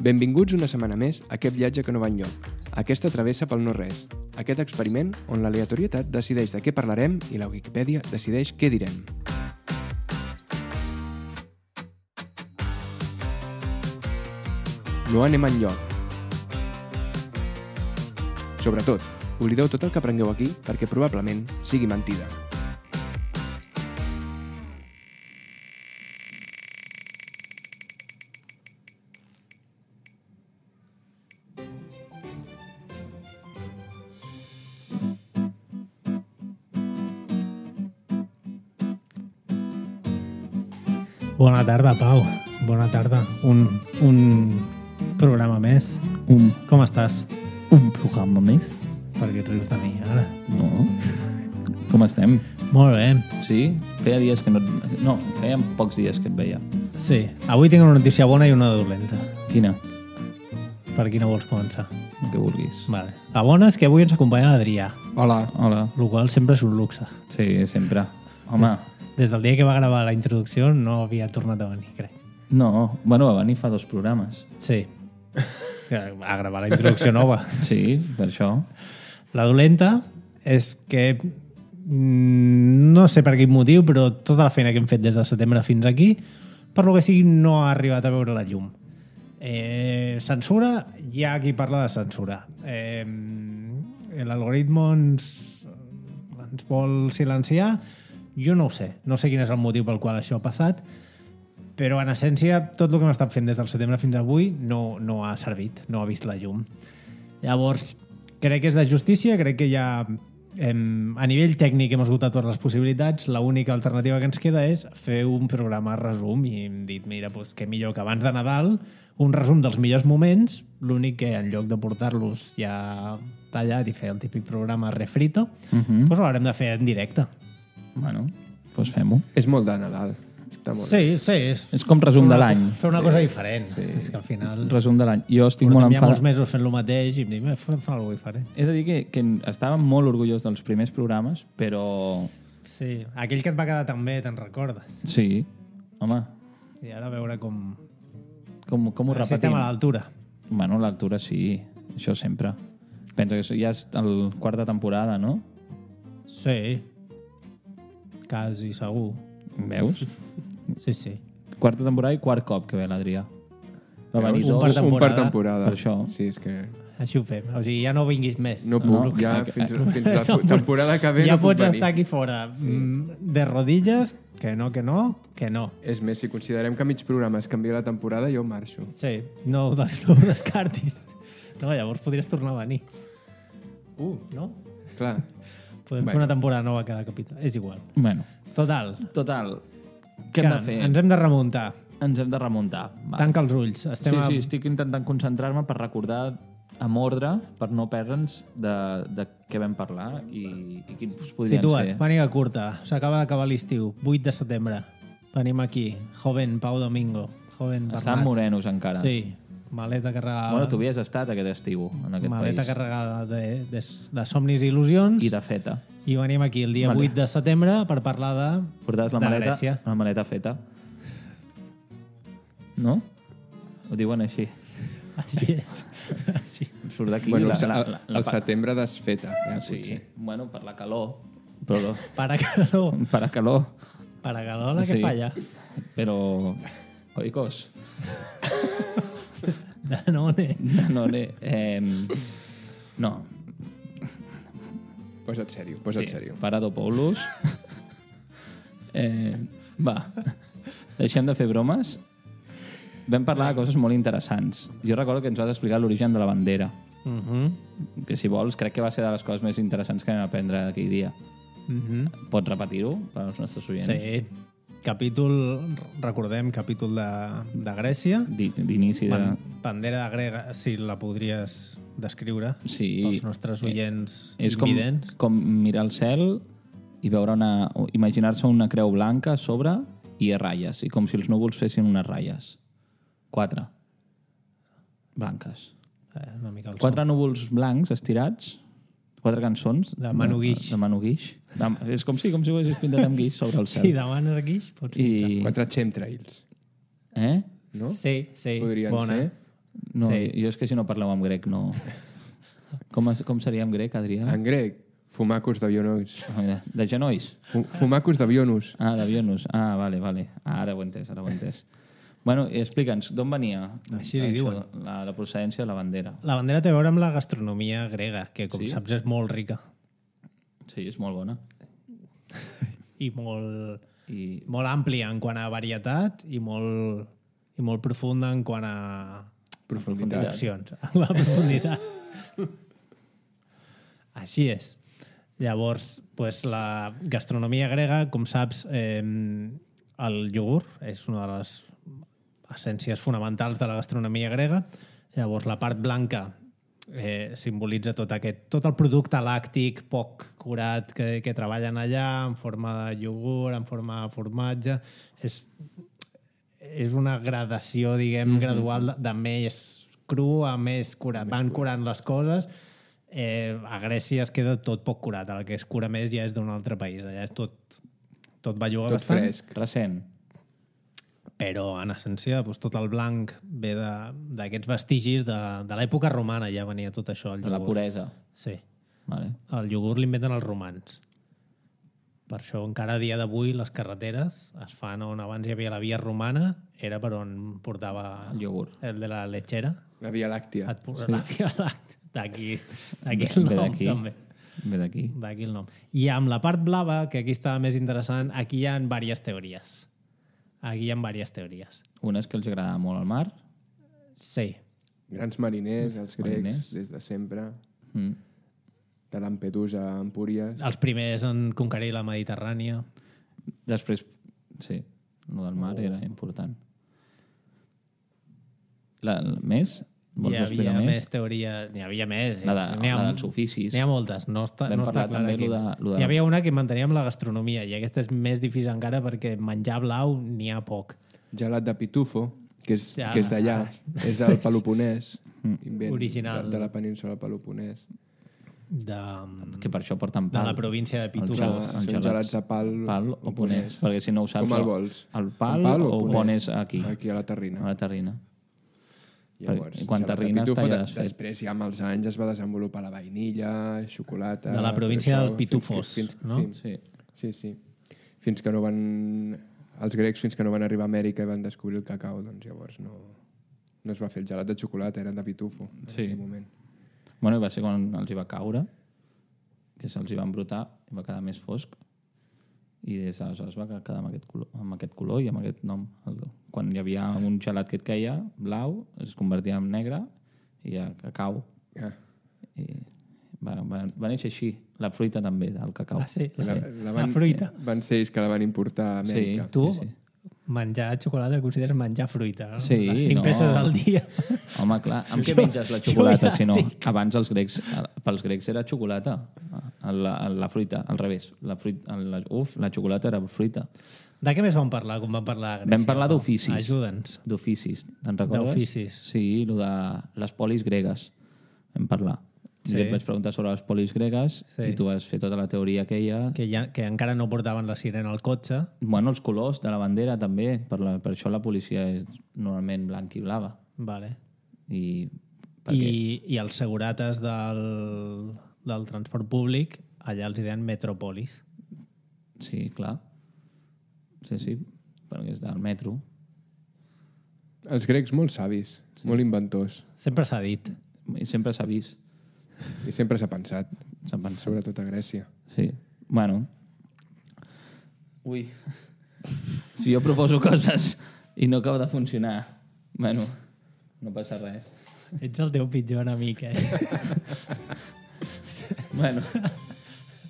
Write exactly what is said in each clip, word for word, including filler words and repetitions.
Benvinguts una setmana més a aquest viatge que no va enlloc, aquesta travessa pel no-res, aquest experiment on l'aleatorietat decideix de què parlarem i la Wikipedia decideix què direm. No anem enlloc. Sobretot, oblideu tot el que aprengueu aquí perquè probablement sigui mentida. Bona tarda, Pau. Bona tarda. Un, un programa més. Un, Com estàs? un programa més? Per què et rius de mi, ara? No. Com estem? Molt bé. Sí? Feia dies que no... No, feia pocs dies que et veia. Sí. Avui tinc una notícia bona i una dolenta. Quina? Per quina vols començar? El que vulguis. Vale. La bona és que avui ens acompanya l'Adrià, Hola. Hola. el qual sempre és un luxe. Sí, sempre. Home, Des del dia que va gravar la introducció no havia tornat a venir, crec. no. Bueno, va venir fa dos programes. Sí. A gravar la introducció nova. Sí, per això. La dolenta és que mm, no sé per quin motiu, però tota la feina que hem fet des de setembre fins aquí, per lo que sigui, no ha arribat a veure la llum. Eh, censura, hi ha qui parla de censura. Eh, L'algoritme ens, ens vol silenciar. Jo no ho sé. No sé quin és el motiu pel qual això ha passat, però en essència tot el que hem estat fent des del setembre fins avui no, no ha servit, no ha vist la llum. Llavors, crec que és de justícia, crec que ja hem, a nivell tècnic hem esgotat totes les possibilitats, l'única alternativa que ens queda és fer un programa resum i hem dit, mira, doncs, què millor que abans de Nadal, un resum dels millors moments, l'únic que en lloc de portar-los ja tallat i fer el típic programa refrito, Uh -huh. doncs l'haurem de fer en directe. Bueno, doncs fem-ho. És molt de Nadal. Està molt bé. Sí, sí. És, És com resum fer de una- l'any. Fer una cosa diferent. Sí. És que al final... Resum de l'any. Jo estic molt Portem ja molts enfadat. mesos fent el mateix i em dic, "Eh, fem alguna cosa diferent." He de dir que, que estàvem molt orgullós dels primers programes, però... Sí, aquell que et va quedar tan bé, te'n recordes? Sí. Home, I ara a veure com... com, com ho si estem repetim? a l'altura. Bueno, l'altura sí, això sempre. Pensa que ja és el quarta temporada, no? Sí. Quasi segur. Veus? Sí, sí. Quarta temporada i quart cop que ve l'Adrià. Va Veus? venir Un dos. per Un per temporada. temporada. Per això. Sí, és que Així ho fem. O sigui, ja no vinguis més. no puc. No, ja que- fins, fins la temporada que ve ja no puc pots venir. estar aquí fora mm, de rodilles, que no, que no, que no. És més, si considerem que a mig programa es canvia la temporada, jo marxo. Sí, no ho, des, no ho descartis. No, llavors podries tornar a venir. Uh, No? clar. Podem Bueno. fer una temporada nova cada capítol. És igual. Bueno, Total. total. Què hem de fer? Ens hem de remuntar. Ens hem de remuntar. Va. Tanca els ulls. Estem Sí, a... sí, estic intentant concentrar-me per recordar amb ordre, per no perdre'ns de, de què vam parlar i, i quins podrien Situa't, ser. màniga curta. S'acaba d'acabar l'estiu. vuit de setembre. Venim aquí. Joven Pau Domingo. Joven Bernat. Estan morenos encara. Sí. Maleta carregada... Bueno, tu havies estat aquest estiu en aquest Maleta país. carregada de, de, de somnis i il·lusions. I de feta. I venim aquí el dia Vale. vuit de setembre per parlar de... Portaves la de maleta, Grècia. la maleta feta. No? Ho diuen així. Així és. Així. Em surt d'aquí Bueno, la, el, la, el, la, la, el setembre desfeta, ja, Sí, potser. bueno, per la calor. Però Para calor. per a calor. Para calor la que Sí. falla. Però... Oikos. Danone. No, no, eh, no. Posa't sèrio, posa't Sí, sèrio. Paradopoulos. eh, va, deixem de fer bromes. Vam parlar de coses molt interessants. Jo recordo que ens vas explicar l'origen de la bandera, Uh -huh. que si vols crec que va ser de les coses més interessants que vam aprendre aquell dia. Uh -huh. Pots repetir-ho per als nostres oients? Sí. Capítol, recordem, capítol de, de Grècia. Di- D'inici de... Ban bandera de grega, si la podries descriure Sí. pels nostres oients És com, invidents. com mirar el cel i veure una... imaginar-se una creu blanca a sobre i a ratlles, i com si els núvols fessin unes ratlles. Quatre. Blanques. Eh, una mica el Quatre núvols blancs estirats, quatre cançons... De Manu Guix. De, de Manu Guix. De, és com si, com si ho haguessis pintat amb guix sobre el son. cel. Si demanes guix, pots I... Quatre chemtrails, Eh? no? Sí, sí. Podrien bona. ser. No, Sí. jo és que si no parleu en grec no... Com, es, com seria en grec, Adrià? En grec, fumacus d'avionus. Ah, mira, de genolls? Fu- Fumacus d'avionus. Ah, d'avionus. Ah, vale, vale. Ah, ara ho he entès, ara ho he entès. Bueno, i explica'ns, d'on venia Així li això, diuen. La, la procedència de la bandera? La bandera té a veure amb la gastronomia grega, que com Sí? saps és molt rica Sí, és molt bona. i molt, I molt àmplia en quant a varietat i molt, i molt profunda en quant a Profunditat. opcions. La profunditat. Així és. Llavors, pues, la gastronomia grega, com saps, eh, el iogurt és una de les essències fonamentals de la gastronomia grega. Llavors, la part blanca eh, simbolitza tot, aquest, tot el producte làctic poc curat que, que treballen allà, en forma de iogurt, en forma de formatge. És, és una gradació, diguem, mm -hmm. gradual de, de més cru a més curat. Van curant les coses. Eh, a Grècia es queda tot poc curat. El que es cura més ja és d'un altre país. Allà és tot, tot belluga Tot bastant. fresc. recent. Però, en essència, doncs, tot el blanc ve de- d'aquests vestigis de, de l'època romana. Ja venia tot això. El De la iogurt. puresa. Sí. Vale. El iogurt l'inventen els romans. Per això encara a dia d'avui les carreteres es fan on abans hi havia la via romana, era per on portava El iogurt. el de la lechera. La Via Làctia. Et porta la via làctea. D'aquí d'aquí el Ve nom, d'aquí. també. Ve d'aquí. D'aquí el nom. I amb la part blava, que aquí estava més interessant, aquí hi ha diverses teories. Aquí hi ha diverses teories. Una és que els agrada molt el mar. Sí. Grans mariners, els grecs, Mariners. des de sempre. Mm. De Lampedusa a Empúries. Els primers en conquerir la Mediterrània. Després, sí, el del mar era important. La, la, més? Vols Hi havia explicar més, més? teoria... N'hi havia més. La, de, N'hi ha- la dels oficis. N'hi ha moltes, no està, Vam no està parlar clar també aquí. lo de- lo de- Hi havia una que mantenia amb la gastronomia i aquesta és més difícil encara perquè menjar blau n'hi ha poc. Gelat de pitufo, que és, Ja. que és d'allà. És del Peloponès. Invent Original. De, de la península del Peloponès. De, Que per això porten de pal. la província de Els Pitufo. gelats. Són gelats. gelats de pal, Pal o ponès. Perquè si no ho saps... Com el vols? El pal, Amb o, o pones aquí, Aquí a la terrina. a la terrina. Llavors, I quan gelat de terrines pitufo, t'ha de- desfet. Després, ja amb els anys, es va desenvolupar la vainilla, xocolata... De la província però dels pitufos, fins que, no? fins, Sí. sí, sí, sí. Fins que no van... Els grecs, fins que no van arribar a Amèrica i van descobrir el cacau, doncs llavors no, no es va fer el gelat de xocolata, eren de pitufo en Sí. aquell moment. Bueno, i va ser quan els hi va caure, que se'ls hi va embrutar i va quedar més fosc. I des d'aleshores va quedar amb aquest, color, amb aquest color i amb aquest nom. El, quan hi havia un gelat que et queia, blau, es convertia en negre i ja cacau. Ah, I va, va, va néixer així. La fruita també, del cacau. Ah, sí? la, La, van, fruita. Van ser ells que la van importar a Amèrica. Sí. Tu, sí. menjar xocolata consideres menjar fruita, no? Sí, Les cinc no. peces al dia. Home, clar, amb què Jo- menges la jo xocolata, ja si no? estic. Abans els grecs, pels grecs era xocolata, la, la fruita, al revés. La fruita, la, uf, la xocolata era fruita. De què més vam parlar, quan vam parlar de Grècia? Vam parlar d'oficis. Ajuda'ns. D'oficis, te'n recordes? D'oficis. Sí, lo de les polis gregues. Vam parlar. Sí. Sí. Et vaig preguntar sobre les polis gregues Sí. i tu vas fer tota la teoria aquella. Que, ja, que encara no portaven la sirena al cotxe. Bueno, els colors de la bandera també, per, la, per això la policia és normalment blanc i blava. Vale. I, perquè, I, I els segurates del, del transport públic, allà els hi deien metropolis. Sí, clar. Sí, sí, perquè és del metro. Els grecs molt savis, sí. molt inventors. Sempre s'ha dit. I sempre s'ha vist. I sempre s'ha pensat, S'ha pensat. sobretot a Grècia. Sí. Bueno. Ui. Si jo proposo coses i no acaba de funcionar, bueno, no passa res. Ets el teu pitjor enemic, eh? Bueno,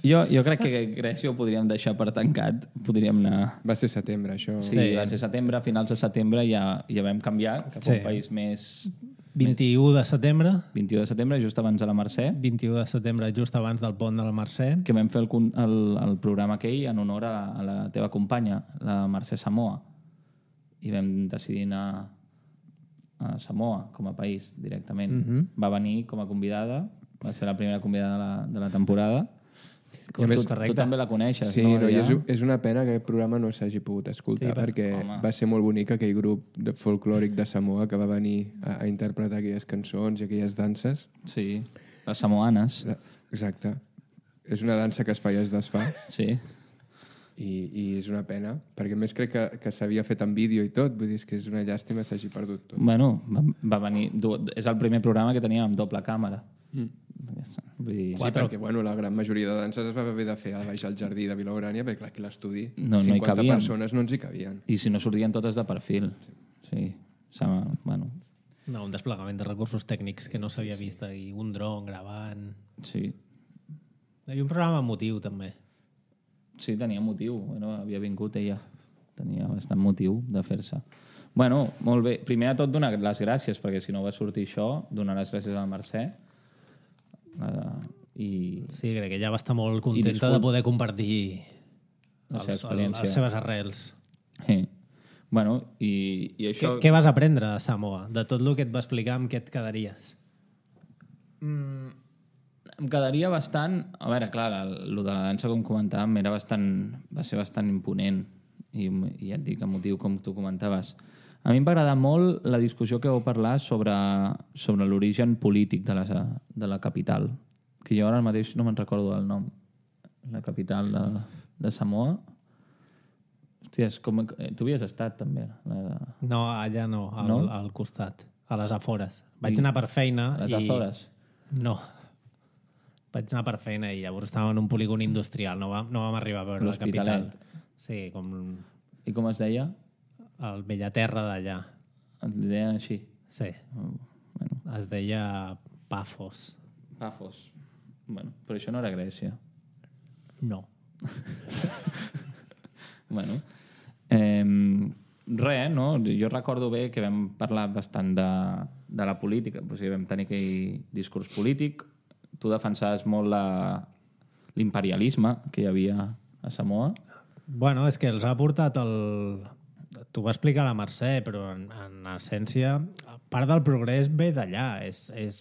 jo, jo crec que Grècia ho podríem deixar per tancat. Podríem anar... Va ser setembre, això. Sí, sí, va ser setembre, a finals de setembre ja, ja vam canviar cap a Sí. un país més... vint-i-u de setembre, vint-i-u de setembre, just abans de la Mercè, vint-i-u de setembre, just abans del pont de la Mercè. que vam fer el, con- el, el programa aquell en honor a la, a la teva companya, la Mercè Samoa. I vam decidir anar a Samoa com a país directament. Mhm. Va venir com a convidada, va ser la primera convidada de la, de la temporada Tu, més, tu també la coneixes, sí, no? no Ja? és, és una pena que aquest programa no s'hagi pogut escoltar, Sí, perquè home. va ser molt bonic aquell grup de folclòric de Samoa que va venir a, a interpretar aquelles cançons i aquelles danses. Sí, les samoanes. La, exacte. És una dansa que es fa i es desfà. Sí. I, i és una pena, perquè a més crec que, que s'havia fet en vídeo i tot, vull dir és que és una llàstima s'hagi perdut tot. Bueno, va, va venir... És el primer programa que teníem amb doble càmera. Mm. Vull dir... Sí, perquè bueno, la gran majoria de danses es va haver de fer a baix al jardí de Vilaurània, perquè clar, aquí a l'estudi No, no hi cinquanta cabíem. persones no ens hi cabien. I si no sortien totes de perfil. Sí. sí. Bueno, No, un desplegament de recursos tècnics que no s'havia vist ahir. Un dron gravant... sí. Hi havia un programa emotiu, també. Sí, tenia motiu. Bueno, havia vingut ella. Tenia bastant motiu de fer-se. Bueno, molt bé. Primer de tot, donar les gràcies, perquè si no va sortir això, donar les gràcies a la Mercè. Uh, i Sí, crec que ella va estar molt contenta discul- de poder compartir la seva els, experiència. les seves arrels. Sí. Bueno, i, i Què, això... què vas aprendre de Samoa? De tot el que et va explicar, amb què et quedaries? Mm, em quedaria bastant... A veure, clar, el de la dansa, com comentàvem, era bastant, va ser bastant imponent. I, i ja et dic, a motiu, com tu comentaves. A mi em va agradar molt la discussió que vau parlar sobre, sobre l'origen polític de la, de la capital. Que jo ara mateix no me'n recordo del nom. La capital de, de Samoa. Hòsties, com, tu havies estat també. La, No, allà no, al, No? al costat, a les afores. Vaig I- anar per feina a les i... Azores. No. Vaig anar per feina i llavors estàvem en un polígon industrial. No vam, no vam arribar a veure la capital. L'Hospitalet. Sí, com I com es deia? el Bellaterra d'allà. Et deien així. Sí, Oh, bueno, es deia Pafos. Pafos. Bueno, però això no era Grècia. No. Bueno, eh, res, no? Jo recordo bé que vam parlar bastant de, de la política, o sigui, vam tenir aquell discurs polític. Tu defensaves molt la- l'imperialisme que hi havia a Samoa. Bueno, és que els ha portat el... T'ho va explicar la Mercè, però en, en essència, part del progrés ve d'allà. És, és,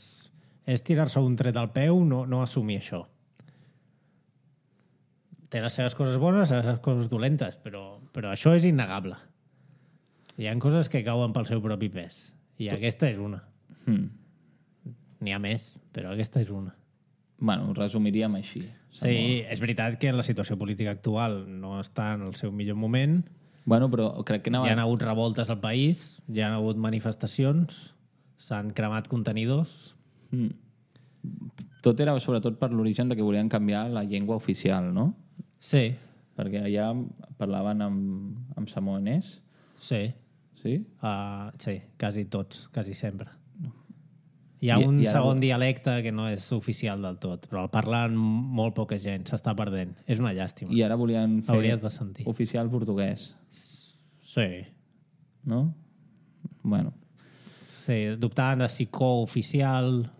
és tirar-se un tret al peu, no, no assumir això. Té les seves coses bones, les seves coses dolentes, però, però això és innegable. Hi ha coses que cauen pel seu propi pes. I aquesta és una. Hmm. N'hi ha més, però aquesta és una. Bueno, ho resumiríem així. Sí, és veritat que la situació política actual no està en el seu millor moment. Bueno, però crec que anava... Hi ha hagut revoltes al país, hi ha hagut manifestacions, s'han cremat contenidors. Mm. Tot era sobretot per l'origen de que volien canviar la llengua oficial, no? Sí, Perquè allà parlaven amb, amb samoanès, sí, sí? uh, sí, quasi tots, quasi sempre. Hi ha I- un i ara- segon dialecte que no és oficial del tot, però el parlen molt poca gent, s'està perdent. És una llàstima. I ara volien fer Hauries de sentir. oficial portuguès, Sí, no? Bueno, sí, dubtaven de si cooficial...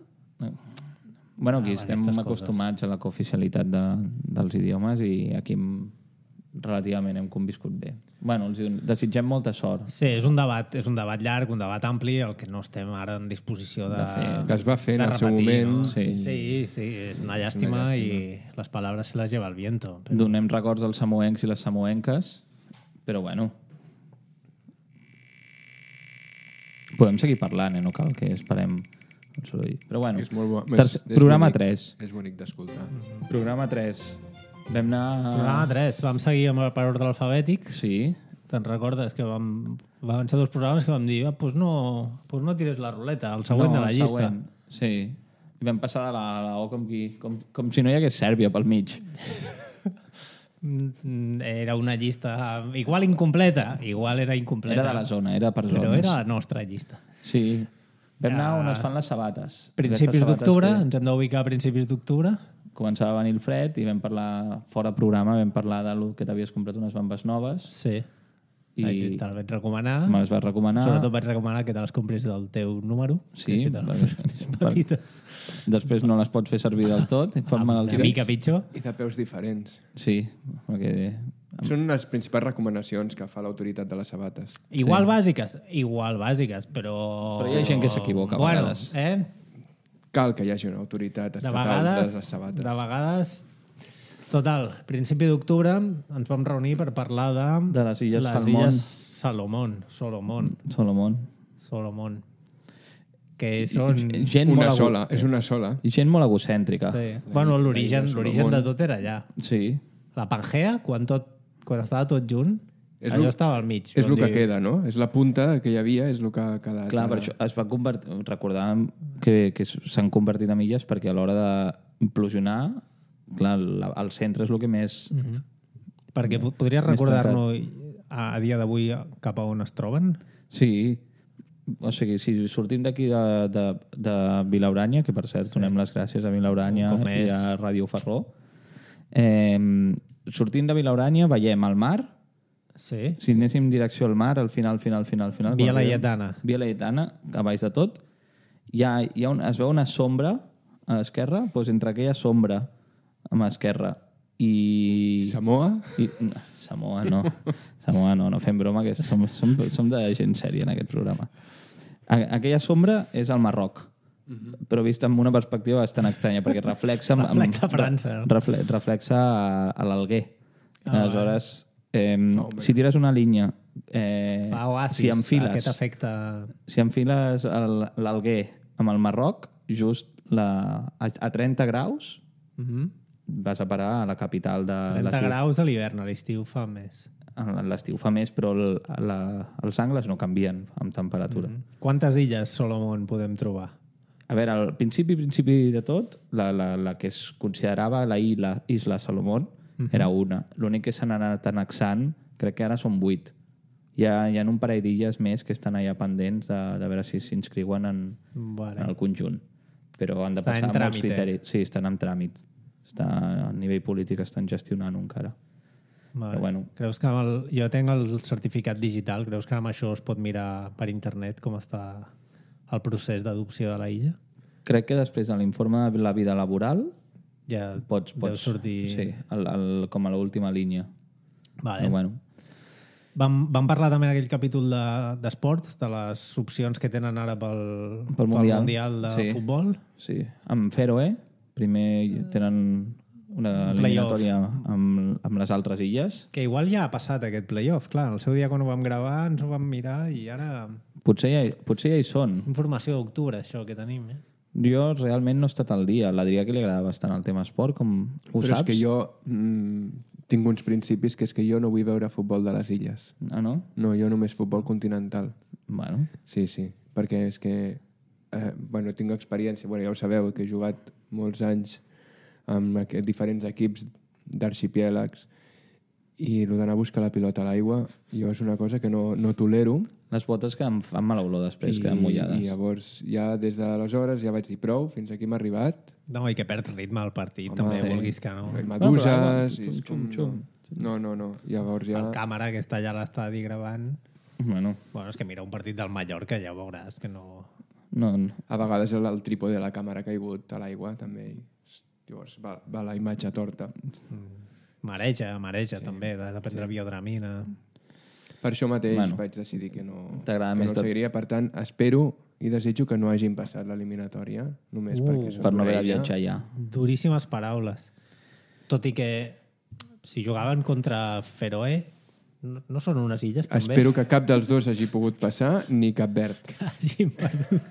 bueno aquí Ah, estem aquestes acostumats a la cooficialitat de, dels idiomes i aquí hem- relativament hem conviscut bé. Bueno, els desitgem molta sort. Sí, és un debat, és un debat llarg, un debat ampli, el que no estem ara en disposició de, De fer. Que es va fer en de el seu repetir, moment. No? Sí. Sí, sí, és una llàstima, llàstima. i les paraules se les lleva el viento. Però... Donem records als samoencs i les samoenques, però bueno. Podem seguir parlant, eh? No cal que esperem el soroll. Però bueno, És molt bo. tercer, És programa bonic. tres. És bonic d'escoltar. Programa tres. Vam anar... Programa tres, vam seguir amb el per ordre alfabètic. Sí, Te'n recordes que vam, van ser dos programes que vam dir, ah, pues no, pues no tires la ruleta, el següent no, de la el llista. següent. Sí. I vam passar de la, a la O com, qui, com, com si no hi hagués Sèrbia pel mig. Mm, Era una llista igual incompleta, igual era incompleta. Era de la zona, era per zones. Però era la nostra llista. Sí. Vam anar Ja. on es fan les sabates. Principis Aquestes sabates d'octubre, que ens hem d'ubicar a principis d'octubre. Començava a venir el fred i vam parlar, fora programa, vam parlar de lo que t'havies comprat unes bambes noves Sí. i I te les vaig recomanar. me les vas recomanar. Sobretot vaig recomanar que te les compris del teu número. Sí, que així te les perquè- fas més petites. Després no les pots fer servir del tot, et fan mal als Una mica dits. pitjor. I de peus diferents. Sí, perquè... Són les principals recomanacions que fa l'autoritat de les sabates. Igual bàsiques, igual bàsiques, però... Però hi ha gent que s'equivoca a bueno, vegades. Eh? Cal que hi hagi una autoritat De estatal vegades, de les sabates. de vegades Total, principi d'octubre ens vam reunir per parlar de... De les Illes les Salmón. Illes Salomón. Solomon. Solomon. Solomon. Que són... Gent Una molt sola, egu- és una sola. I gent molt egocèntrica. Sí. Bueno, la l'origen illa l'origen Solomon. de tot era allà. Sí. La Pangea, quan, tot, quan estava tot junt, És allò lo- estava al mig. És on el que diu- queda, no? És la punta que hi havia, és el que ha quedat. Clar, per ara. això es va convertir... Recordàvem que, que s'han convertit en illes perquè a l'hora d'implosionar, clar, la, el centre és el que més... Mhm. Perquè po- podries Més recordar-nos a, a dia d'avui cap a on es troben? Sí, o sigui, si sortim d'aquí de, de, de Vilaurània, que per cert, sí. donem les gràcies a Vilaurània Com i és. a Ràdio Ferró, eh, sortint de Vilaurània veiem el mar. Sí. Si anéssim direcció al mar, al final, final, final, final... Via quan arribem- Laietana. Via Laietana, a baix de tot. Hi ha, hi ha un, es veu una sombra a l'esquerra, doncs entre aquella sombra a l'esquerra i... Samoa? I, no, Samoa no. Samoa no, no fem broma, que som, som, som de gent sèria en aquest programa. A, aquella sombra és el Marroc, mm-hmm. però vist amb una perspectiva bastant estranya, perquè reflexa... amb- amb- Reflexa França. Refle, reflexa a, a l'Alguer. Ah, Aleshores, eh, si tires una línia... Eh, Fa oasis, si enfiles, aquest efecte... si enfiles el- l'Alguer amb el Marroc, just la, a, a trenta graus, Mhm. vas a parar a la capital de la trenta ciutat. graus a l'hivern, a l'estiu fa més. A l'estiu fa més, però el, la, els angles no canvien amb temperatura. Mm. Quantes illes Solomon podem trobar? A veure, al principi, principi de tot, la, la, la que es considerava la isla, isla Salomón mm -hmm. era una. L'únic que s'han anat annexant, crec que ara són vuit. Hi ha, hi ha un parell d'illes més que estan allà pendents de, de veure si s'inscriuen en, Vale. en el conjunt. Però han de Estan passar en molts tràmit, eh? criteris. Sí, estan en tràmit. Està, a nivell polític estan gestionant encara. Vale. Però bueno. Creus que amb el, jo tinc el certificat digital, creus que amb això es pot mirar per internet com està el procés d'adopció de la illa? Crec que després de l'informe de la vida laboral Ja pots, deu pots sortir... sí, el, el, com a l'última línia. Vale. Però bueno, Vam, vam parlar també en aquell capítol de- d'esport, de, de les opcions que tenen ara pel, Pel Mundial. mundial de Sí. futbol. sí. Amb Feroe, primer tenen una Un playoff. eliminatòria amb, amb les altres illes. Que igual ja ha passat aquest playoff, clar. El seu dia quan ho vam gravar ens ho vam mirar i ara... Potser ja, hi- potser ja hi són. Informació d'octubre, això que tenim, eh? Jo realment no he estat al dia. L'Adrià que li agrada bastant el tema esport, com ho Però saps? és que jo mm, tinc uns principis que és que jo no vull veure futbol de les illes. Ah, no? No, jo només futbol continental. Bueno, Sí, sí, perquè és que eh, bueno, tinc experiència, bueno, ja ho sabeu, que he jugat molts anys amb aqu- diferents equips d'arxipièlegs i el d'anar a buscar la pilota a l'aigua, jo és una cosa que no, no tolero. les botes que em fan mala olor després, queden mullades. I llavors ja des d'aleshores ja vaig dir prou, fins aquí m'ha arribat. No, i que perd ritme al partit, Home, també, sí. vulguis que no. Hi ha però meduses... aigua, i és xum, com, xum, no. no, no, no. Llavors ja... El càmera que està allà a l'estadi gravant... Bueno, Bueno, és que mira un partit del Mallorca, ja ho veuràs, que no... no, no. A vegades el, el trípode de la càmera ha caigut a l'aigua, també. I, llavors va, va la imatge torta. Mareja, mareja, sí. també, de, de prendre sí. biodramina. Per això mateix Bueno. bueno, vaig decidir que no, T'agrada que més no tot. seguiria. Per tant, espero i desitjo que no hagin passat l'eliminatòria, només Uh, perquè són Per no haver una de illa. viatjar ja. Duríssimes paraules. Tot i que si jugaven contra Feroe, no, no són unes illes, també? Espero que cap dels dos hagi pogut passar, ni Cap Verd. Que hagin perdut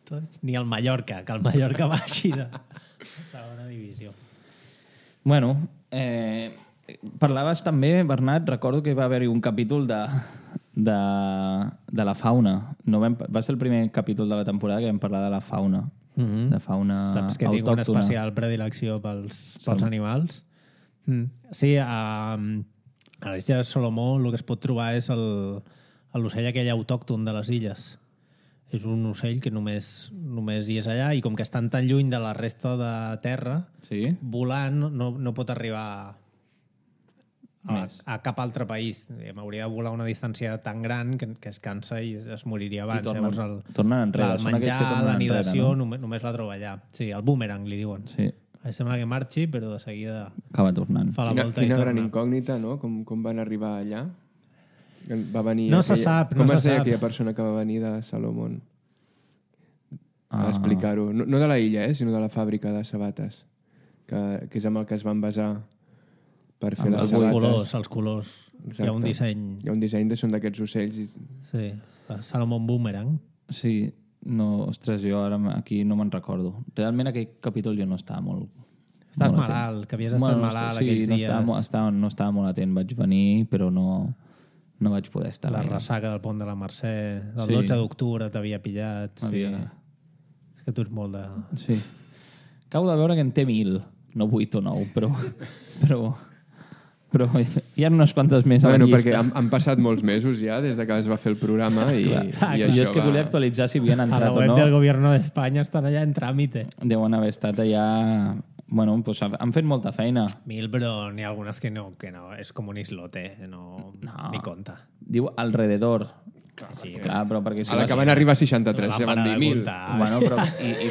tots. Ni el Mallorca, que el Mallorca baixi de segona divisió. Bueno, eh, parlaves també, Bernat, recordo que va haver-hi un capítol de, de, de la fauna. No vam, va ser el primer capítol de la temporada que vam parlar de la fauna. Mm -hmm. De fauna Saps que tinc una autòctona. especial predilecció pels, pels animals? Mm. Sí, a, a les illes Salomó el que es pot trobar és el- l'ocell aquell autòcton de les illes. És un ocell que només, només hi és allà i com que estan tan lluny de la resta de terra, Sí? volant no, no pot arribar a, Més. a cap altre país. M'hauria de volar una distància tan gran que, que es cansa i es, es moriria abans. I tornen- Llavors el, tornen enrere. El Són aquells que menjar, tornen l'anidació, enrere, no? només, només la troba allà. Sí, el boomerang, li diuen. Sí, Em sembla que marxi, però de seguida acaba tornant. fa la Quina, volta quina i gran torna. incògnita, no? Com, com van arribar allà? Va venir No se sap, no com se es deia sap. aquella persona que va venir de Salomón? A Ah. explicar-ho. No, no de la illa, eh, sinó de la fàbrica de sabates, que, que és amb el que es van basar per fer Amb les els Els sabates. colors, els colors. Hi ha un disseny... Hi ha un disseny de són d'aquests ocells. I... Sí, la Salomon Boomerang. Sí, no, ostres, jo ara aquí no me'n recordo. Realment aquell capítol jo no estava molt... Estàs molt atent. malalt, que havies estat Bueno, malalt sí, aquells no dies. estava, mo- estava, no estava molt atent. Vaig venir, però no, no vaig poder estar La gaire. ressaca del pont de la Mercè, del Sí. dotze d'octubre t'havia pillat. Sí. M'havia- És que tu ets molt de... Sí. Acabo de veure que en té mil, no vuit o nou, però... però... Però hi ha unes quantes més a la Bueno, llista. perquè han, han passat molts mesos ja des de que es va fer el programa i, Clar. i Jo això és que va... volia actualitzar si havien A la entrat o web no. del Gobierno d'Espanya estan allà en tràmite. Deuen haver estat allà... Bueno, pues han fet molta feina. Mil, però n'hi ha algunes que no, que no. És com un islote, no, No. ni compta. Diu alrededor. Sí, Clar, però perquè... A la que van arribar a seixanta-tres, la ja van para dir de mil. comptar. Bueno, però... I, i,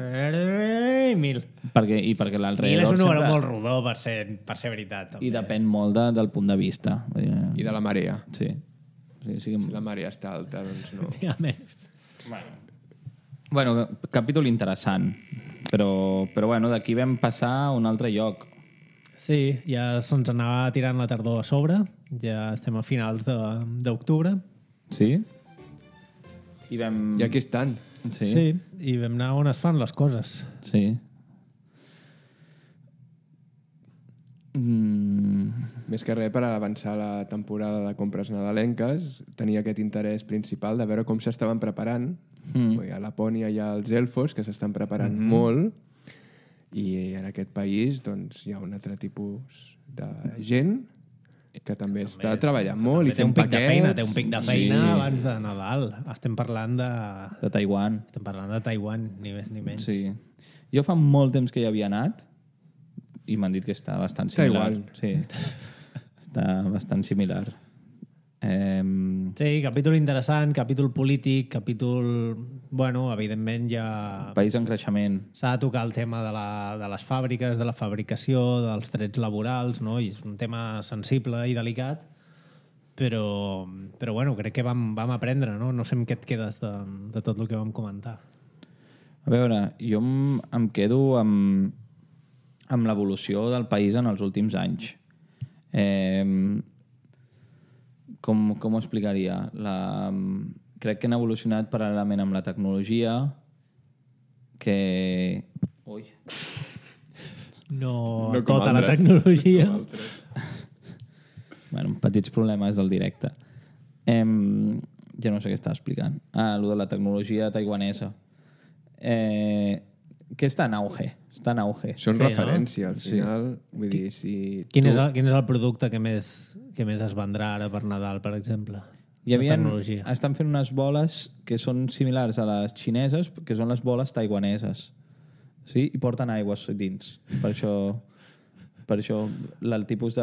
Eh, Mil. perquè, I perquè Mil l'alrededor... és un número sempre- molt rodó per ser, per ser veritat. També. I depèn molt de, del punt de vista. Vull dir, I de la marea. Sí. sí, sí Si la marea està alta, doncs no. N'hi ha més. Bueno, capítol interessant. Però, però bueno, d'aquí vam passar a un altre lloc. Sí, ja se'ns anava tirant la tardor a sobre. Ja estem a finals de- d'octubre. Sí? I vam... I aquí estan. Sí. Sí, i vam anar on es fan les coses. Sí. Mm, Més que res per avançar la temporada de compres nadalenques, tenia aquest interès principal de veure com s'estaven preparant. Mm. A Lapònia hi ha els elfos que s'estan preparant mm -hmm. molt i en aquest país doncs, hi ha un altre tipus de gent que també està treballant molt i Té un fent pic de paquets. feina, té un pic de feina Sí. abans de Nadal. Estem parlant de... de Taiwan. Estem parlant de Taiwan, ni més ni menys. Sí. Jo fa molt temps que hi havia anat i m'han dit que està bastant similar. Taiwan. Sí. Està bastant similar. Eh, Sí, capítol interessant, capítol polític, capítol... Bueno, evidentment ja... país en creixement. S'ha de tocar el tema de, la, de les fàbriques, de la fabricació, dels drets laborals, no? I és un tema sensible i delicat, però, però bueno, crec que vam, vam aprendre, no? No sé amb què et quedes de, de tot el que vam comentar. A veure, jo em, em quedo amb, amb l'evolució del país en els últims anys. Eh, com, com ho explicaria? La, crec que han evolucionat paral·lelament amb la tecnologia, que... Ui. No, No com tota la altres. tecnologia. Bueno, petits problemes del directe. Eh, ja no sé què estava explicant. Ah, allò de la tecnologia taiwanesa. Eh, que està en auge. Està en auge. Són Sí, no? referència, al Sí. final. Vull dir, si... Quin tu- és, el, quin és el producte que més, que més es vendrà ara per Nadal, per exemple? Hi havia, La tecnologia. estan fent unes boles que són similars a les xineses, que són les boles taiwaneses. Sí? I porten aigües dins. Per això, per això la- el tipus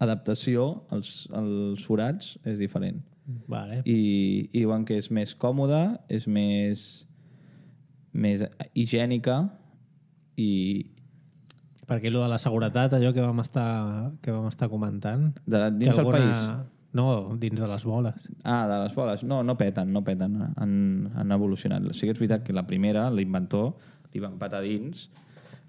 d'adaptació als, als forats és diferent. Vale. I, i diuen que és més còmode, és més, més higiènica i Perquè allò de la seguretat, allò que vam estar, que vam estar comentant... de, dins que del país. No, dins de les boles. Ah, de les boles. No, no peten, no peten. Han, han evolucionat. Sí que és veritat que la primera, l'inventor, li van patar dins,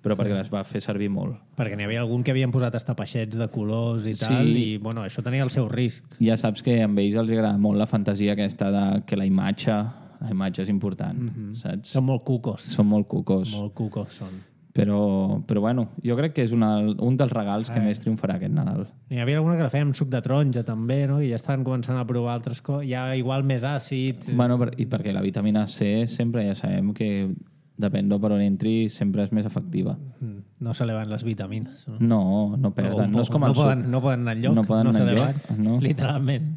però sí. perquè les va fer servir molt. Perquè n'hi havia algun que havien posat estapeixets de colors i tal, Sí. i bueno, això tenia el seu risc. Ja saps que a ells els agrada molt la fantasia aquesta de que la imatge, la imatge és important, mm-hmm. saps? Són molt cucos. Són molt cucos. Molt cucos són. Però, però bueno, jo crec que és una, un dels regals que més triomfarà aquest Nadal. N'hi havia alguna que la feia amb suc de taronja també, no? I ja estan començant a provar altres coses. Ja igual més àcid. Bueno, per, i perquè la vitamina C sempre ja sabem que depèn de per on entri sempre és més efectiva. Mm, No s'eleven les vitamines. No, No, no perden. O- No és com no el suc. poden, no poden anar enlloc. No poden no anar s'eleven, enlloc, no. Literalment.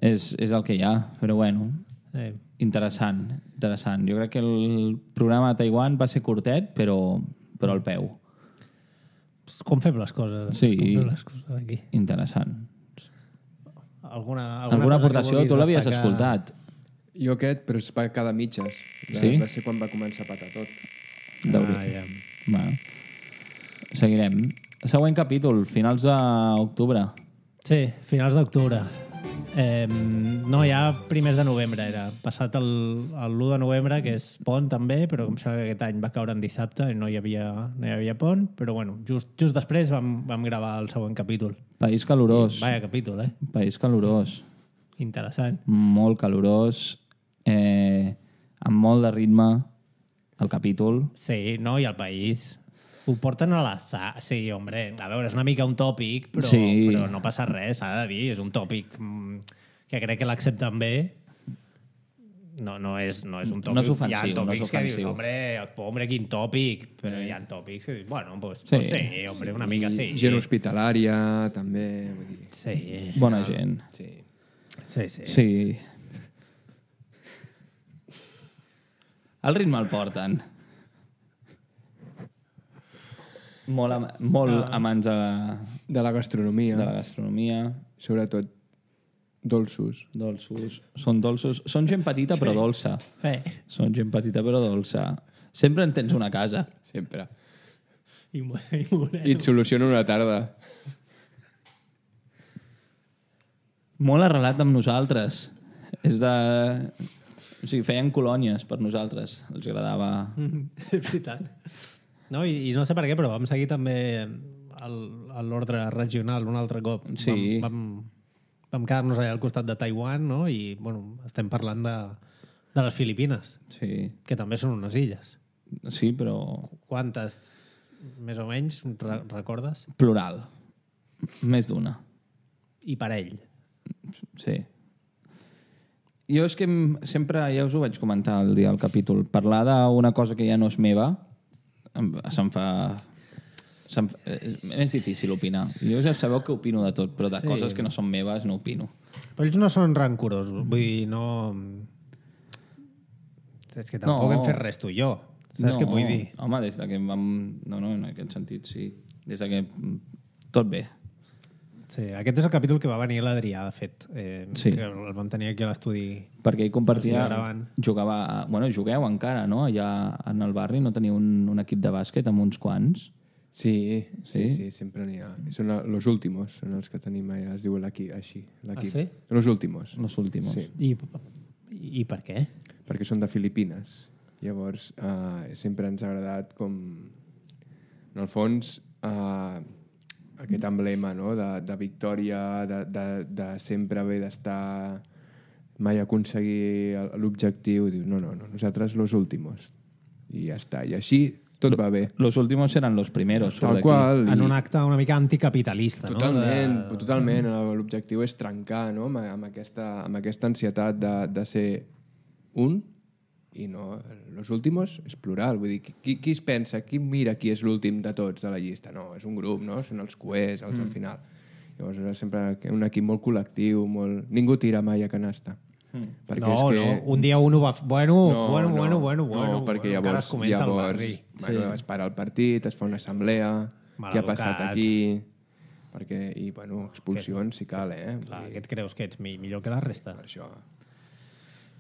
És, és el que hi ha, però bueno, Eh, interessant, interessant. Jo crec que el programa de Taiwan va ser curtet, però, però al peu. com fem les coses? Sí. Com fem les coses aquí? Interessant. Alguna, Alguna, cosa que aportació? vulguis Tu l'havies destacar? escoltat. Jo aquest, però es va quedar a mitges. Va, Sí? va ser quan va començar a patar tot. Deuria. Ah, ja. Bueno. Seguirem. Següent capítol, finals d'octubre. Sí, finals d'octubre. Eh, no, ja primers de novembre era. Passat el, el l'u de novembre, que és pont també, però em sembla que aquest any va caure en dissabte i no hi havia, no hi havia pont, però bueno, just, just després vam, vam gravar el següent capítol. País calorós. Vaya capítol, eh? País calorós. Interessant. Molt calorós, eh, amb molt de ritme, el capítol. Sí, no? I el país. Ho porten a la sa... Sí, hombre, a veure, és una mica un tòpic, però, Sí. però no passa res, s'ha de dir. És un tòpic mm, que crec que l'accepten bé. No, no, és, no és un tòpic. No és ofensiu, hi ha tòpics no és que dius, ofensiu. hombre, hombre, quin tòpic. Però hi ha tòpics que dius, bueno, pues, Sí. pues sí, hombre, una mica sí. Gent hospitalària, també. Vull dir, Sí. Bona gent. sí. Sí, sí. Sí. El ritme el porten. Molt, am molt amants de la, De la gastronomia, de la gastronomia, sobretot dolços. dolços. Són dolços. Són gent petita però dolça. Eh. Són gent petita però dolça. Sempre en tens una a casa. Sempre. I, mo- i moreno. I et soluciona una tarda. Molt arrelat amb nosaltres. És de... O sigui, feien colònies per nosaltres. Els agradava... És veritat. No, i, I no sé per què, però vam seguir també el- a l'ordre regional un altre cop. Sí. Vam, vam, vam quedar-nos allà al costat de Taiwan, no? I, bueno, estem parlant de, de les Filipines, Sí, que també són unes illes. sí, però Quantes, més o menys, re recordes? plural. Més d'una. I per ell. Sí. Jo és que em- sempre, ja us ho vaig comentar el dia del capítol, parlar d'una cosa que ja no és meva em- se'm fa... Se'm, és més difícil opinar. Jo ja sabeu que opino de tot, però de Sí. sí. coses que no són meves no opino. Però ells no són rancorosos, vull dir, no... És que tampoc No. hem fet res tu i jo. Saps què vull dir? Home, des de que vam... No, no, en aquest sentit, sí. Des de que... Tot bé. Sí, aquest és el capítol que va venir l'Adrià, de fet, eh, Sí. que el vam tenir aquí a l'estudi. Perquè ell compartia... Estic gravant. Jugava... Bueno, jugueu encara, no? Allà en el barri no teniu un, un equip de bàsquet amb uns quants? Sí, sí, Sí? sí, sí sempre n'hi ha. Són a- los últimos, són els que tenim allà, es diu l'equip, així, l'equip. Ah, sí? Los últimos, Los últimos. Sí. I, I per què? perquè són de Filipines. Llavors, eh, sempre ens ha agradat com... En el fons, eh, aquest emblema, no?, de, de victòria, de, de, de sempre haver d'estar, mai aconseguir el- l'objectiu. Dius, no, no, no, nosaltres los últimos. I ja està. I així tot va bé. Los últimos eran los primeros. surt Tal d'aquí. qual. En i- un acte una mica anticapitalista, Totalment, no? De... totalment. L'objectiu és trencar, no?, amb, amb, aquesta, amb aquesta ansietat de, de ser un i no... Los últimos és plural. Vull dir, qui, qui es pensa, qui mira qui és l'últim de tots de la llista? No, és un grup, no? Són els coers, els mm. al final. Llavors és sempre un equip molt col·lectiu, molt... Ningú tira mai a canasta. Mm. Perquè No, és que... no, un dia un ho va... Bueno, No, bueno, no, bueno, bueno, bueno. no, perquè bueno, encara es llavors, comenta al llavors barri. bueno, es para el partit, es fa una assemblea, què ha passat Maleducat. aquí... Perquè, i, bueno, expulsions si cal, eh? Clar, Vull dir, què et creus que ets mi- millor que la resta? per això...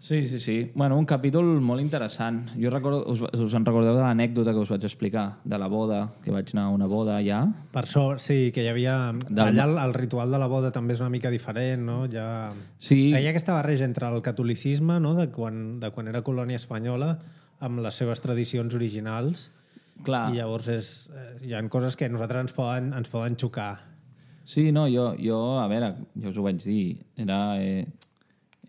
Sí, sí, sí. Bueno, un capítol molt interessant. Jo recordo, us, us en recordeu de l'anècdota que us vaig explicar, de la boda, que vaig anar a una boda allà? Per sobre, sí, que hi havia... Del- Allà el, el ritual de la boda també és una mica diferent, no? Ja... Sí. Hi ha aquesta barreja entre el catolicisme, no?, de quan, de quan era colònia espanyola, amb les seves tradicions originals, Clar. i llavors és, eh, hi ha coses que a nosaltres ens poden, ens poden xocar. Sí, no, jo, jo, a veure, jo us ho vaig dir, era... Eh,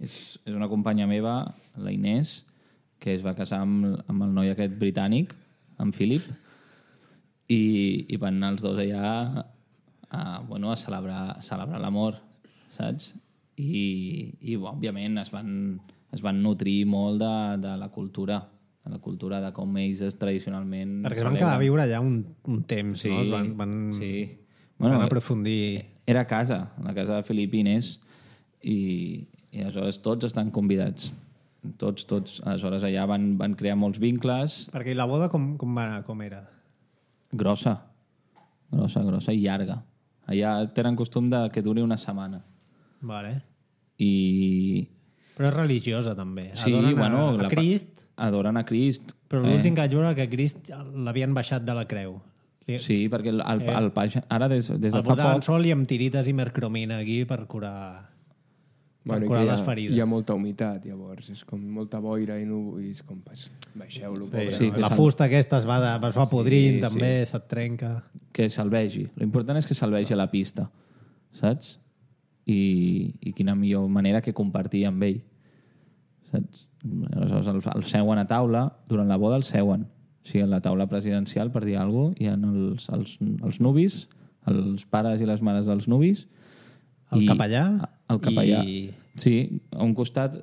és, és una companya meva, la Inés, que es va casar amb, amb el noi aquest britànic, amb Philip, i, i van anar els dos allà a, bueno, a celebrar, a celebrar l'amor, saps? I, i òbviament, es van, es van nutrir molt de, de la cultura, de la cultura de com ells es tradicionalment... Perquè es van celebren. quedar a viure allà un, un temps, Sí, no? Es van, van, sí. van Bueno, aprofundir... Era a casa, a la casa de Filipines, i, i aleshores tots estan convidats. Tots, tots. Aleshores allà van, van crear molts vincles. Perquè la boda com, com, va anar, com era? Grossa. Grossa, grossa i llarga. Allà tenen costum de que duri una setmana. Vale. I... Però és religiosa, també. Sí, Adoren bueno... a, a la- Crist, Adoren a Crist. però l'últim que vaig veure que Crist l'havien baixat de la creu. Li- Sí, perquè el, el, el, el ara des, des de el fa botaven poc... sol i amb tirites i mercromina aquí per curar... Bueno, i curar que hi les ha, ferides. hi ha molta humitat, llavors. És com molta boira i, no, i és com, pues, baixeu-lo, Sí, pobre. Sí, no? que La s'han- fusta aquesta es va, de, es va podrint, Sí, també, sí. se't trenca. Que se'l vegi. L'important és que se'l vegi a la pista, saps? I, i quina millor manera que compartir amb ell. Saps? Aleshores, el, el seuen a taula, durant la boda el seuen. O sigui, a la taula presidencial, per dir alguna cosa, hi ha els, els, els nuvis, els pares i les mares dels nuvis. El i- capellà El capellà. i- Sí, a un costat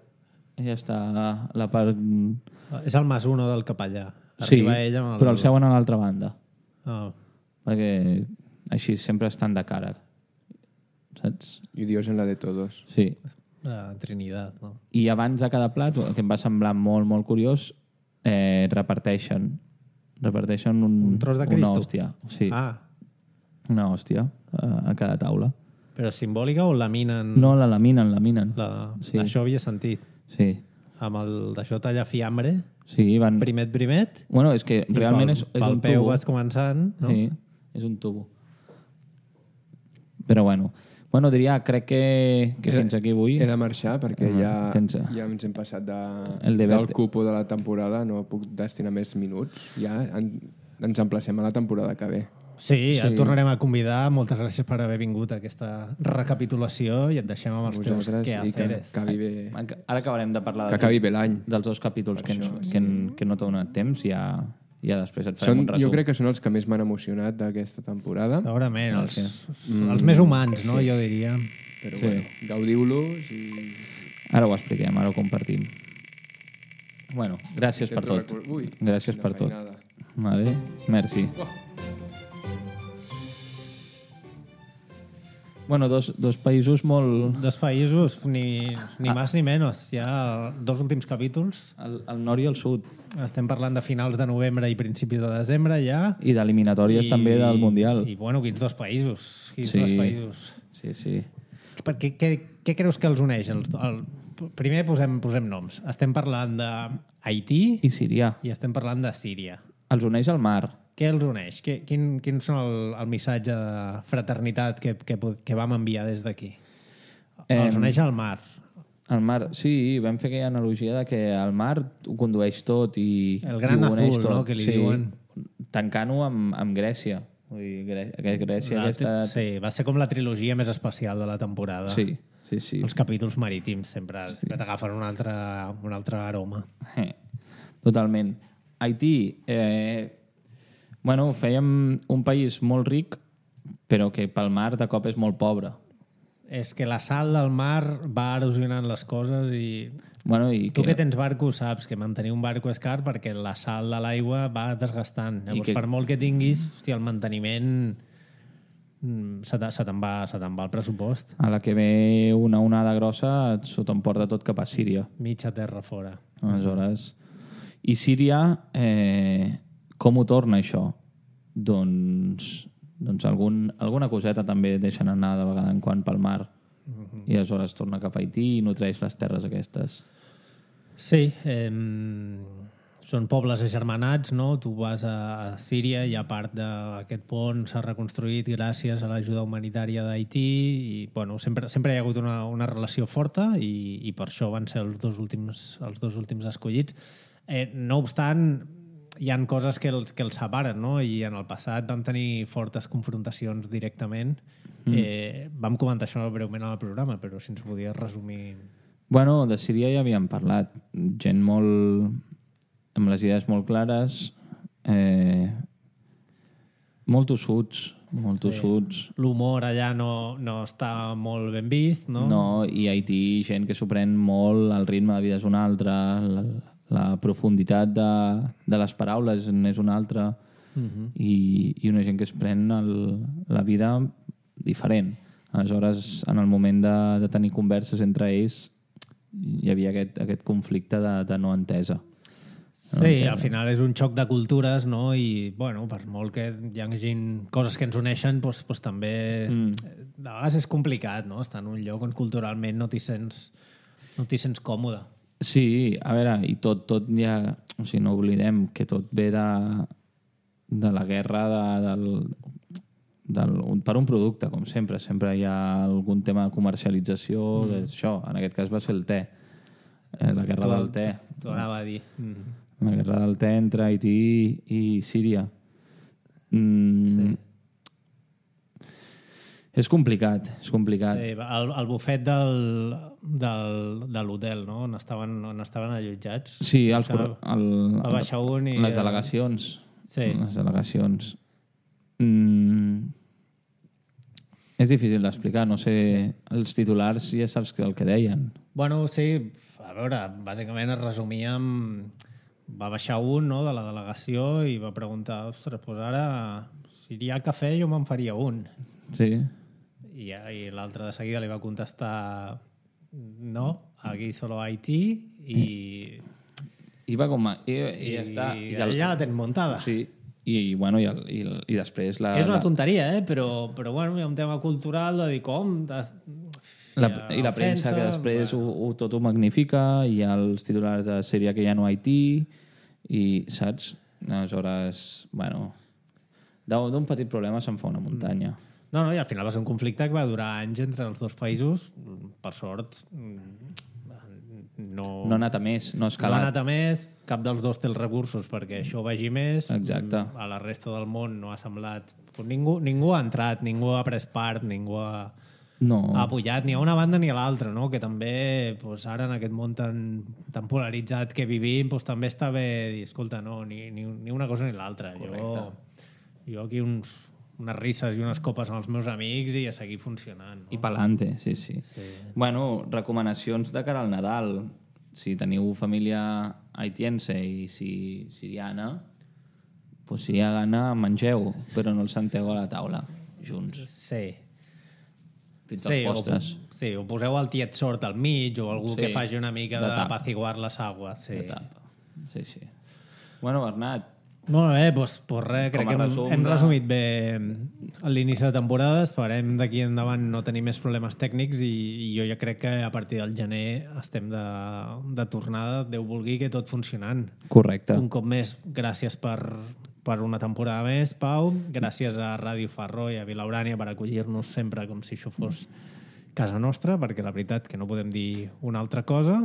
ja està la part... És el mas uno del capellà. Sí, Arriba ell amb el... però el seuen a l'altra banda. Oh. Perquè així sempre estan de cara. Saps? I Dios en la de todos. Sí. La Trinitat, no? I abans de cada plat, el que em va semblar molt, molt curiós, eh, reparteixen reparteixen un, Un tros de una Cristo? hòstia. Sí, Ah, una hòstia a, a cada taula. però simbòlica o laminen? No, la laminen, laminen. La... Sí. Això havia sentit. Sí, Amb el d'això tallar fiambre, sí, van... primet, primet, Bueno, és que i realment pel, és, és pel un peu tubo. vas començant, no? Sí, és un tubo. Però bueno, bueno diria, crec que, que He- fins aquí avui... He de marxar perquè Ah, ja, tens- ja ens hem passat de, El de del verte. cupo de la temporada, no puc destinar més minuts. Ja en, ens emplacem a la temporada que ve. Sí, ja Sí. et tornarem a convidar. Moltes gràcies per haver vingut a aquesta recapitulació i et deixem amb els teus Vosaltres, i que quehaceres. acabi bé, Ara acabarem de parlar que dels, acabi bé l'any. dels dos capítols que, ens, això, que, en, que no t'ha donat temps. Ja, ja després et farem Són, un resum. jo crec que són els que més m'han emocionat d'aquesta temporada, Segurament, els, Gràcies. els més humans, no? Jo diria. però Sí. bueno, gaudiu-los i... Ara ho expliquem, ara ho compartim. Bueno, gràcies per tot. Intento recor- Ui, Gràcies quina per tot. feinada. Vale, merci. Oh. Bueno, dos, dos països molt... Dos països, ni, Ah. ni més ni menys. Ja dos últims capítols. El, el nord i el sud. Estem parlant de finals de novembre i principis de desembre ja. I d'eliminatòries també del Mundial. I, bueno, quins dos països. Quins Sí. dos països. Sí, sí. Per què, què, què creus que els uneix? El, el, primer posem, posem noms. Estem parlant d'Haití I Síria. i estem parlant de Síria. Els uneix al mar. Què els uneix? Què, quin, quin són el, el missatge de fraternitat que, que, pod- que vam enviar des d'aquí? Els Em, uneix al mar. El mar, sí, vam fer aquella analogia de que el mar ho condueix tot i, El gran i ho uneix azul, tot. no?, que li sí, diuen. Tancant-ho amb, amb Grècia. Vull dir, Grè Grè- Grècia La, aquesta... Sí, va ser com la trilogia més especial de la temporada. Sí, sí, sí. Els capítols marítims sempre, sí. sempre t'agafen un altre, un altre aroma. Eh, Totalment. Haití, eh, bueno, fèiem un país molt ric, però que pel mar de cop és molt pobre. És que la sal del mar va erosionant les coses i... Bueno, i Tu que, que tens barco saps que mantenir un barco és car perquè la sal de l'aigua va desgastant. Llavors, que- per molt que tinguis, hòstia, el manteniment mm, se te- se te'n va, se te'n va el pressupost. a la que ve una onada grossa s'ho t'emporta tot cap a Síria. Mitja terra fora. Aleshores... I Síria, eh, com ho torna això? Doncs, doncs algun, alguna coseta també deixen anar de vegada en quan pel mar. I aleshores torna cap a Haití i nutreix les terres aquestes. Sí, eh, són pobles agermanats, no? Tu vas a, a Síria i a part d'aquest pont s'ha reconstruït gràcies a l'ajuda humanitària d'Haití i bueno, sempre, sempre hi ha hagut una, una relació forta i, i per això van ser els dos últims, els dos últims escollits. Eh, no obstant, hi han coses que els, que els separen, no? I en el passat vam tenir fortes confrontacions directament. Mm. Eh, vam comentar això breument al programa, però si ens podies resumir... Bueno, de Síria ja havíem parlat. Gent molt... amb les idees molt clares, eh, molt tossuts, molt tossuts. L'humor allà no, no està molt ben vist, no? No, i a Haití gent que s'ho pren molt, el ritme de vida és un altre, la, la profunditat de, de les paraules és una altra, Uh -huh. i, i una gent que es pren el, la vida diferent. Aleshores, en el moment de, de tenir converses entre ells, hi havia aquest, aquest conflicte de, de no entesa. Sí, al final és un xoc de cultures, no? I, bueno, per molt que hi hagi coses que ens uneixen, doncs, doncs també... Mm. De vegades és complicat, no? Estar en un lloc on culturalment no t'hi sents, no t'hi sents còmode. Sí, a veure, i tot, tot ja... O sigui, no oblidem que tot ve de, de la guerra de, del, del, un, per un producte, com sempre. Sempre hi ha algun tema de comercialització mm. d'això. En aquest cas va ser el te. Eh, la guerra del te. T'ho anava a dir. Mm. La guerra del te entre Haití i Síria. Mm. Sí. És complicat, és complicat. Sí, el, el bufet del, del, de l'hotel, no? On estaven, on estaven allotjats. Sí, els, el, el, va baixar un i... les delegacions. Sí. Les delegacions. Mm. És difícil d'explicar, no sé... Sí. Els titulars ja saps el que deien. Bueno, sí, a veure, bàsicament es resumia amb... Va baixar un, no?, de la delegació i va preguntar, ostres, doncs ara, si hi ha cafè jo me'n faria un. Sí. I, i l'altre de seguida li va contestar no, aquí solo Haití i... I va com... A, i, i, i ja està. I, i el, ja la tens muntada. Sí. I, bueno, i, el, i, el, i després... La, és una la... tonteria, eh? Però, però bueno, hi ha un tema cultural de dir com... De, la, I la premsa que després ho, ho, tot ho magnifica, i els titulars de sèrie que ja no Haití, i saps? Aleshores, bueno... D'un petit problema se'n fa una muntanya. Mm. No, no, i al final va ser un conflicte que va durar anys entre els dos països. Per sort, no... No ha anat a més, no ha escalat. No ha anat a més, cap dels dos té els recursos perquè això vagi més. Exacte. A la resta del món no ha semblat... Ningú, ningú ha entrat, ningú ha pres part, ningú ha, no. ha apoyat ni a una banda ni a l'altra, no? Que també, doncs, ara en aquest món tan, tan polaritzat que vivim, doncs, també està bé dir, escolta, no, ni, ni, ni una cosa ni l'altra. Jo, jo aquí uns... unes risses i unes copes amb els meus amics i a seguir funcionant. No? I pa'lante, sí, sí, sí. Bueno, recomanacions de cara al Nadal. Si teniu família haitiense i si siriana, pues si hi ha gana, mengeu, però no els senteu a la taula, junts. Sí. Fins sí, als postres. O, sí, o poseu el tiet sort al mig o algú sí, que faci una mica de, de apaciguar les aguas. Sí. De tapa. Sí, sí. Bueno, Bernat, molt bé, doncs, doncs res, crec que hem, hem resumit bé l'inici de temporada. Esperem d'aquí endavant no tenir més problemes tècnics i, i jo ja crec que a partir del gener estem de, de tornada, Déu vulgui, que tot funcionant. Correcte. Un cop més, gràcies per, per una temporada més, Pau. Gràcies a Ràdio Farro i a Vilaurània per acollir-nos sempre com si això fos casa nostra, perquè la veritat que no podem dir una altra cosa.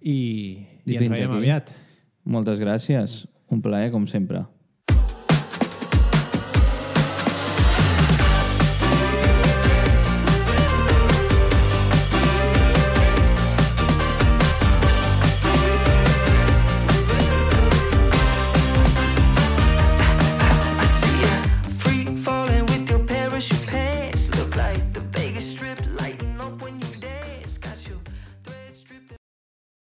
I, i ens veiem aviat. Moltes gràcies. Un plaer, com sempre.